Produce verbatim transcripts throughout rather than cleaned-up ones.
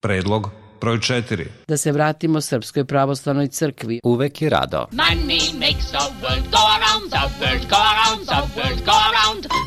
Predlog broj četiri. Da se vratimo Srpskoj pravoslavnoj crkvi. Uvek i rado.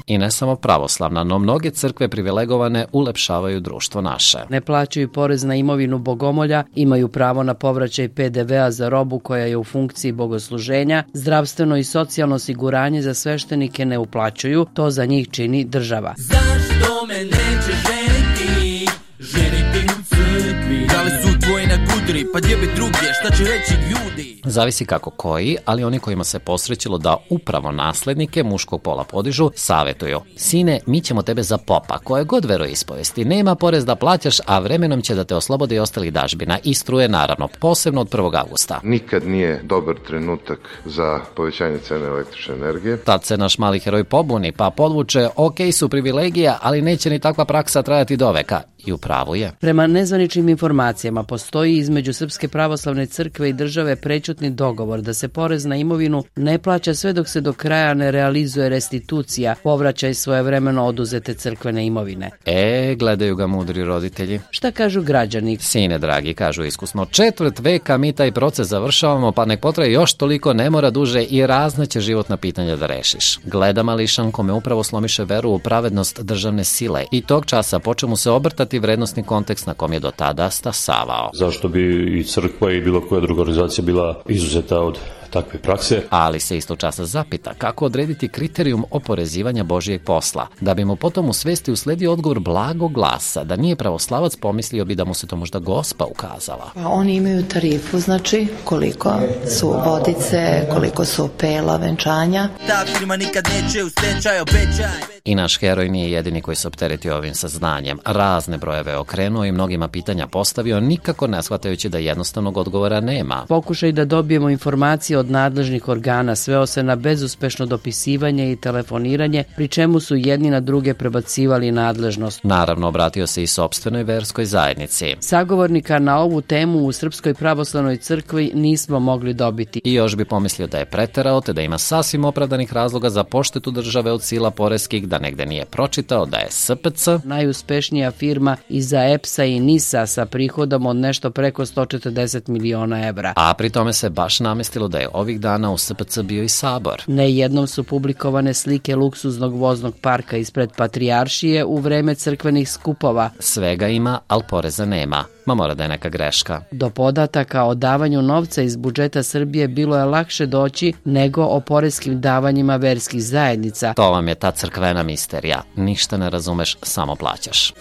I ne samo pravoslavna, no mnoge crkve privilegovane ulepšavaju društvo naše. Ne plaćaju porez na imovinu bogomolja, imaju pravo na povraćaj pe de vea za robu koja je u funkciji bogosluženja, zdravstveno i socijalno osiguranje za sveštenike ne uplaćuju, to za njih čini država. Zašto me neće ženiti, ženiti u crkvi? Da li su tvoji na gudri, pa gdje bi druge, šta će reći ljudi? Zavisi kako koji, ali oni kojima se posrećilo da upravo naslednike muškog pola podižu, savjetuju: sine, mi ćemo tebe za popa, koje god veroispovesti, nema porez da plaćaš, a vremenom će da te oslobode i ostalih dažbina i struje, naravno, posebno od prvog avgusta. Nikad nije dobar trenutak za povećanje cene električne energije. Tad se naš mali heroj pobuni, pa podvuče: ok su privilegija, ali neće ni takva praksa trajati do veka. I u pravu je. Prema nezvaničnim informacijama postoji između Srpske pravoslavne crkve i države prečutni dogovor da se porez na imovinu ne plaća sve dok se do kraja ne realizuje restitucija, povraćaj svojevremeno oduzete crkvene imovine. E, gledaju ga mudri roditelji. Šta kažu građani? Sine dragi, kažu iskusno, četvrt veka mi taj proces završavamo, pa nek potraje još toliko, ne mora duže i razna će životna pitanja da rešiš. Gleda mališan kome upravo slomiše veru u pravednost državne sile i tog časa počeo mu se obrtati vrednostni kontekst na kom je do tada stasavao. Zašto bi i crkva i bilo koja druga organizacija bila izuzeta od takve prakse? Ali se isto časa zapita kako odrediti kriterijum oporezivanja Božijeg posla, da bi mu potom u svesti usledio odgovor blagog glasa, da nije pravoslavac, pomislio bi da mu se to možda Gospa ukazala. Oni imaju tarifu, znači koliko su vodice, koliko su pela, venčanja. Ta firma nikad neće u stečaj, obećaj. I naš heroj nije jedini koji se opteretio ovim saznanjem. Razne brojeve okrenuo i mnogima pitanja postavio, nikako ne shvatajući da jednostavnog odgovora nema. Pokušaj da dobijemo informacije od nadležnih organa sveo se na bezuspešno dopisivanje i telefoniranje, pri čemu su jedni na druge prebacivali nadležnost. Naravno, obratio se i sopstvenoj verskoj zajednici. Sagovornika na ovu temu u Srpskoj pravoslavnoj crkvi nismo mogli dobiti. I još bi pomislio da je preterao, te da ima sasvim opravdanih razloga za poštetu države od sila poreskih, da negde nije pročitao da je S P C najuspešnija firma iza E P S-a i NIS-a sa prihodom od nešto preko sto četrdeset miliona evra. A pri tome se baš namestilo da je ovih dana u S P C bio i sabor. Nejednom su publikovane slike luksuznog voznog parka ispred Patrijaršije u vreme crkvenih skupova. Svega ima, ali poreza nema. Ma mora da je neka greška. Do podataka o davanju novca iz budžeta Srbije bilo je lakše doći nego o poreskim davanjima verskih zajednica. To vam je ta crkvena misterija. Ništa ne razumeš, samo plaćaš.